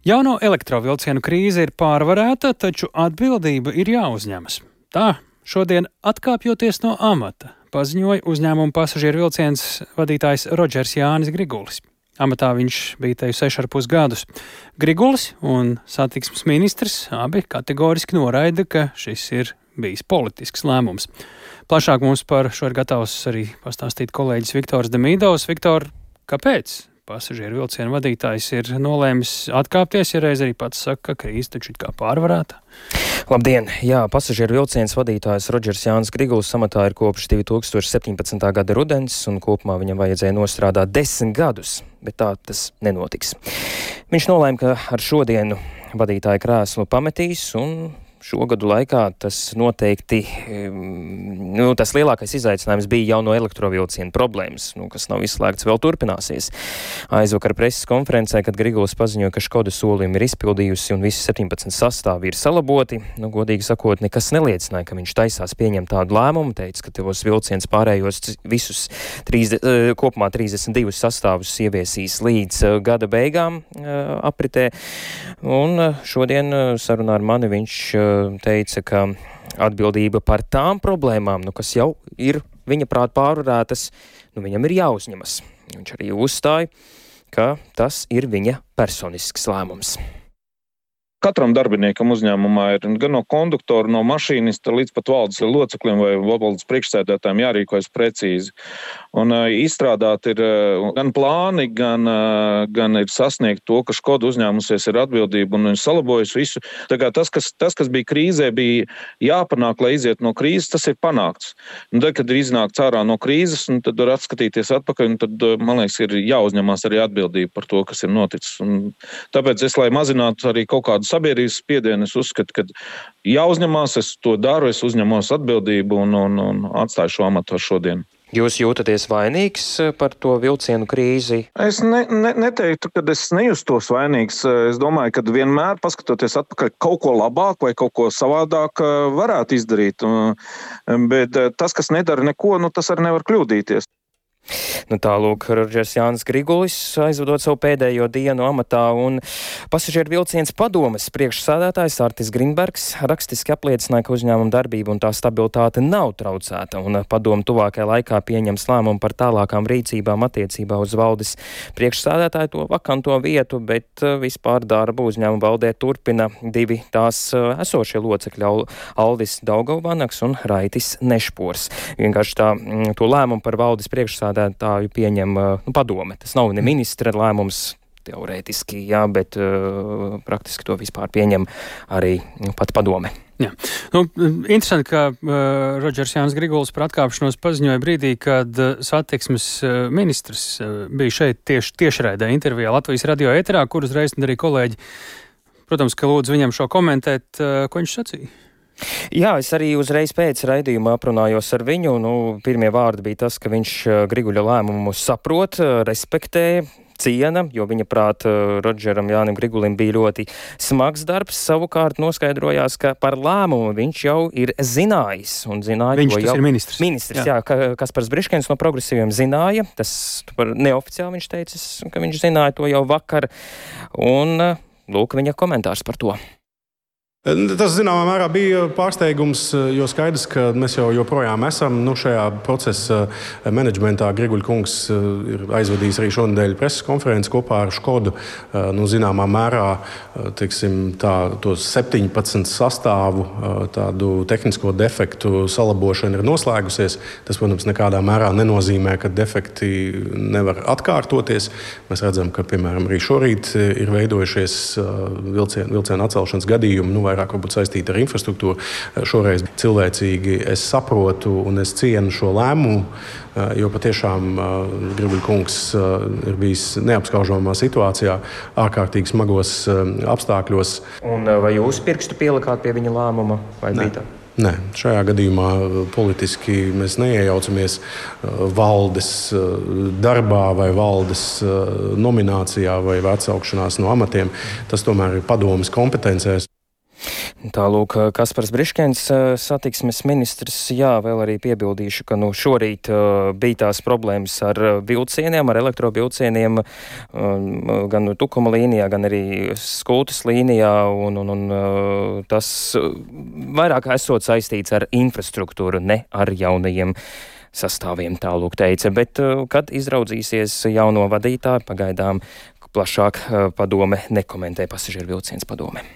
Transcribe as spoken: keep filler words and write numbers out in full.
Jauno elektrovilcienu krīze ir pārvarēta, taču atbildība ir jāuzņemas. Tā, šodien atkāpjoties no amata, paziņoja uzņēmuma pasažieru vilciens vadītājs Rodžers Jānis Grigulis. Amatā viņš bija te seši ar pus gadus. Grigulis un satiksmes ministrs abi kategoriski noraida, ka šis ir bijis politisks lēmums. Plašāk mums par šo ir gatavs arī pastāstīt kolēģis Viktors Demīdovs. Viktor, kāpēc pasažieru vilcienu vadītājs ir nolēmis atkāpties, ja reiz arī pats saka, ka krīze taču it kā pārvarēta? Labdien! Jā, pasažieru vilciens vadītājs Rodžers Jānis Grigulis amatā ir kopš divi tūkstoši septiņpadsmitā gada rudens, un kopumā viņam vajadzēja nostrādāt desmit gadus, bet tā tas nenotiks. Viņš nolēma, ka ar šodienu vadītāja krēslu pametīs, un šogadu laikā tas noteikti, nu, tas lielākais izaicinājums bija jauno elektrovilcienu problēmas, nu, kas nav izslēgts, vēl turpināsies. Aizvakar preses konferencē, kad Grigulis paziņoja, ka Škoda solījumi ir izpildījusi un visi septiņpadsmit sastāvi ir salaboti, nu, godīgi sakot, nekas neliecināja, ka viņš taisās pieņemt tādu lēmumu, teica, ka tos vilciens pārējos visus trīs, kopumā trīsdesmit divus sastāvus ieviesīs līdz gada beigām apritē, un šodien sarunā ar mani viņš teica, ka atbildība par tām problēmām, nu, kas jau ir viņa prāt pārvarētas, nu, viņam ir jāuzņemas. Viņš arī uzstāja, ka tas ir viņa personisks lēmums. Katram darbiniekam uzņēmumā ir gan no konduktora, no mašīnista līdz pat valdes locekļiem vai valdes priekšsēdētājiem jārīkojas precīzi. Un uh, izstrādāt ir uh, gan plāni, gan, uh, gan ir sasniegt to, ka Škoda uzņēmusies ir atbildība un salabojas visu. Tā kā tas, kas, tas, kas bija krīzē, bija jāpanāk, lai iziet no krīzes, tas ir panākts. Un tad, kad ir iznākts ārā no krīzes, un tad var atskatīties atpakaļ, un tad, man liekas, ir jāuzņemās arī atbildība par to, kas ir noticis. Un tāpēc es, lai mazinātu arī kaut kādu sabiedrības spiedienu, es uzskatu, ka jāuzņemās, es to daru, es uzņemos atbildību un, un, un atstāju šo amatu ar šodienu. Jūs jūtaties vainīgs par to vilcienu krīzi? Es ne, ne, neteiktu, ka es nejustos vainīgs. Es domāju, ka vienmēr, paskatoties atpakaļ, kaut ko labāk vai kaut ko savādāk varētu izdarīt. Bet tas, kas nedara neko, nu, tas arī nevar kļūdīties. Nu, tālūk, Rodžers Jānis Grigulis aizvadot savu pēdējo dienu amatā, un pasažieru vilciens padomes priekšsādātājs Artis Grinbergs rakstiski apliecināja, ka uzņēmuma darbība un tā stabilitāte nav traucēta, un padome tuvākajā laikā pieņems lēmumu par tālākām rīcībām attiecībā uz valdes priekšsādātāju to vakanto vietu, bet vispār darbu uzņēmuma valdē turpina divi tās esošie locekļi Aldis Daugavvanaks un Raitis Nešpors. Vienkārši tā, to lēmumu par valdes priekšsādātāju tāju pieņem nu, padome. Tas nav ne ministra lēmums teorētiski, jā, bet uh, praktiski to vispār pieņem arī nu, pat padome. Jā. Nu, interesanti, ka uh, Rodžers Jānis Grigulis par atkāpšanos paziņoja brīdī, kad uh, satiksmes uh, ministrs uh, bija šeit tieši tiešraidē intervijā Latvijas radio ēterā, kur uzreiz arī kolēģi, protams, ka lūdzu viņam šo komentēt, uh, ko viņš sacīja. Jā, es arī uzreiz pēc raidījuma aprunājos ar viņu. Nu, pirmie vārdi bija tas, ka viņš Griguļa lēmumu saprot, respektē, ciena, jo viņa prāt Rodžeram Jānim Grigulim bija ļoti smags darbs. Savukārt noskaidrojās, ka par lēmumu viņš jau ir zinājis. Un zināja, viņš tas jau, ir ministrs. Ministrs, jā, jā Kaspars Briškens no Progresīviem zināja. Tas par neoficiāli viņš teicis, ka viņš zināja to jau vakar. Un lūk viņa komentārs par to. Tas, zināmā mērā, bija pārsteigums, jo skaidrs, ka mēs jau joprojām esam nu, šajā procesa menedžmentā. Griguļa kungs ir aizvadījis arī šonadēļ preses konferenci kopā ar Škodu. Nu, zināmā mērā, teiksim, tā, tos septiņpadsmit sastāvu tādu tehnisko defektu salabošana ir noslēgusies. Tas, protams, nekādā mērā nenozīmē, ka defekti nevar atkārtoties. Mēs redzam, ka, piemēram, arī šorīt ir veidojušies vilcienu, vilcienu atcelšanas gadījumi, nu, vairāk varbūt saistīti ar infrastruktūru. Šoreiz cilvēcīgi es saprotu un es cienu šo lēmumu, jo patiešām Griguļa kungs ir bijis neapskaužamā situācijā, ārkārtīgi smagos apstākļos. Un vai jūs pirkstu pielikāt pie viņa lēmuma? Vai Nē. bija tā? Nē, šajā gadījumā politiski mēs neiejaucamies valdes darbā vai valdes nominācijā vai atsaukšanās no amatiem. Tas tomēr ir padomes kompetencēs. Tālūk, Kaspars Briškens, satiksmes ministrs, jā, vēl arī piebildīšu, ka nu šorīt uh, bija tās problēmas ar vilcieniem, ar elektrovilcieniem, um, gan Tukuma līnijā, gan arī Skultas līnijā, un, un, un uh, tas vairāk esot saistīts ar infrastruktūru, ne ar jaunajiem sastāviem, tālūk teica, bet uh, kad izraudzīsies jauno vadītāju, pagaidām plašāk uh, padome nekomentē pasažieru vilciens padome.